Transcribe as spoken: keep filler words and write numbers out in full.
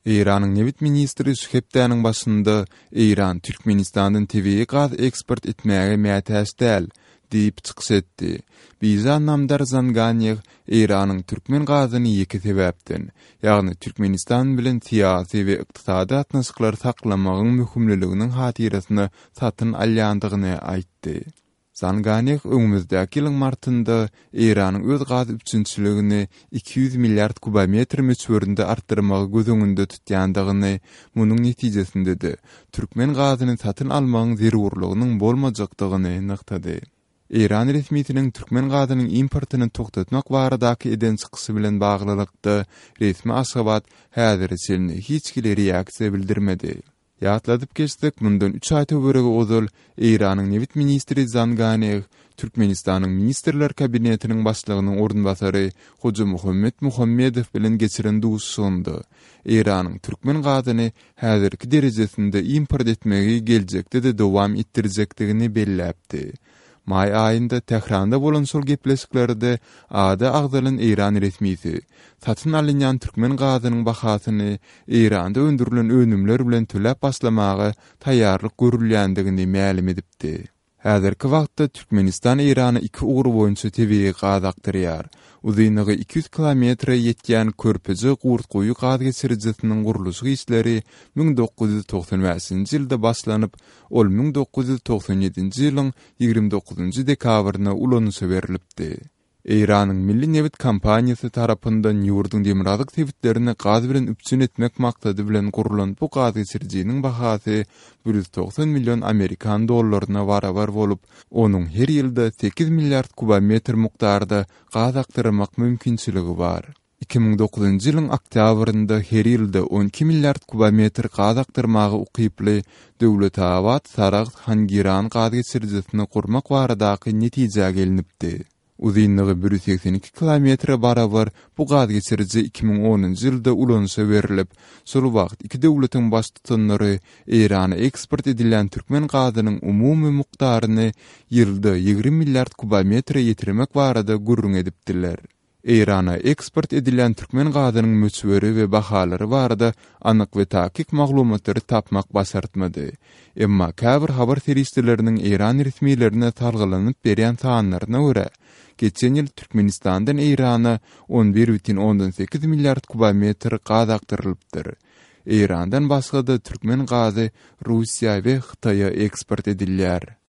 Eýranyň nebit ministri şu hepdäniň başynda Eýran Türkmenistandan tebigy gaz eksport etmäge mätäç däl diýip çykyş etdi. Bijan Namdar Zanganýew Eýranyň türkmen gazyny ýeke sebäpden, ýagny Türkmenistan bilen syýasy we ykdysady gatnaşyklary saklamagyň möhümliliginiň hatyrasyna satyn alýandygyny aýtdy. Zanganýew öňümizdäki ýylyň martynda Eýranyň öz gaz üpjünçiligini iki ýüz milliard kubometr möçberinde artdyrmagy göz öňünde tutýandygyny, munuň netijesinde-de türkmen gazyny satyn almagyň zerurlygynyň bolmajakdygyny nygtady. Eýran resmisiniň türkmen gazynyň importyny togtatmak baradaky eden çykyşy bilen baglylykda resmi Aşgabat häzire çenli hiç hili reaksiýa bildirmedi. Ýatladyp geçsek, mundan üç aý töweregi ozal Eýranyň nebit ministri Zanganeh Türkmenistanyň Ministrler Kabinetiniň başlygynyň orunbasary Hojamuhammet Muhammedow bilen geçiren duşuşygynda Eýranyň türkmen gazyny häzirki derejesinde import etmegi geljekde-de dowam etdirjekdigini belläpdi. Maý aýynda Tähranda bolan şol gepleşiklerde ady agzalan eýran resmisi satyn alynýan türkmen gazynyň bahasyny Eýranda öndürilen önümler bilen töläp başlamaga taýýarlyk görülýändigini mälim edipdi. Häzirki wagtda Türkmenistan Eýrana iki ugur boýunça tebigy gaz akdyrýar. Uzynlygy iki ýüz kilometre ýetýän Körpeje Gurtguýy gaz geçirijisiniň gurluşyk işleri müň dokuz ýüz togsan bäşinji ýylda başlanyp, ol müň dokuz ýüz togsan ýedinji ýylyň ýigrimi dokuzynjy dekabrynda ulanyşa berlipdi. Eýranyň Milli nebit kompaniýasy tarapyndan ýurduň demirgazyk sebitlerini gaz bilen üpjün etmek maksady bilen gurlan bu gaz geçirijiniň bahasy bir ýüz togsan million amerikan dollaryna barabar bolup, onuň her ýylda sekiz milliard kubometr mukdarda gaz akdyrmak mümkinçiligi bar. Iki müň dokuzynjy ýylyň oktýabrynda her ýylda on iki milliard kubometr gaz akdyrmaga ukyply Döwletabat-Saragt-Hangiran gaz geçirijisini gurmak baradaky netijä gelinipdi. Uzynlygy bir ýüz segsen iki kilometre barabar bu gaz geçiriji iki müň onunjy ýylda ulanyşa berlip, şol wagt iki döwletiň baştutanlary Eýrana eksport edilýän türkmen gazynyň umumy mukdaryny ýylda ýigrimi milliard kubometre ýetirmek barada gürrüň edipdiler. Eýrana eksport edilýän türkmen gazynyň möçberi we bahalary barada anyk we takyk maglumatlary tapmak başartmady. Emma käbir habar serişdeleriniň Eýran resmilerine salgylanyp berýän sanlaryna görä, geçen ýyl Türkmenistandan Eýrana on bir bütin ondan sekiz milliard kubometr gaz akdyrylypdyr. Eýrandan başga-da türkmen gazy Russiýa we Hytaýa eksport edilýär.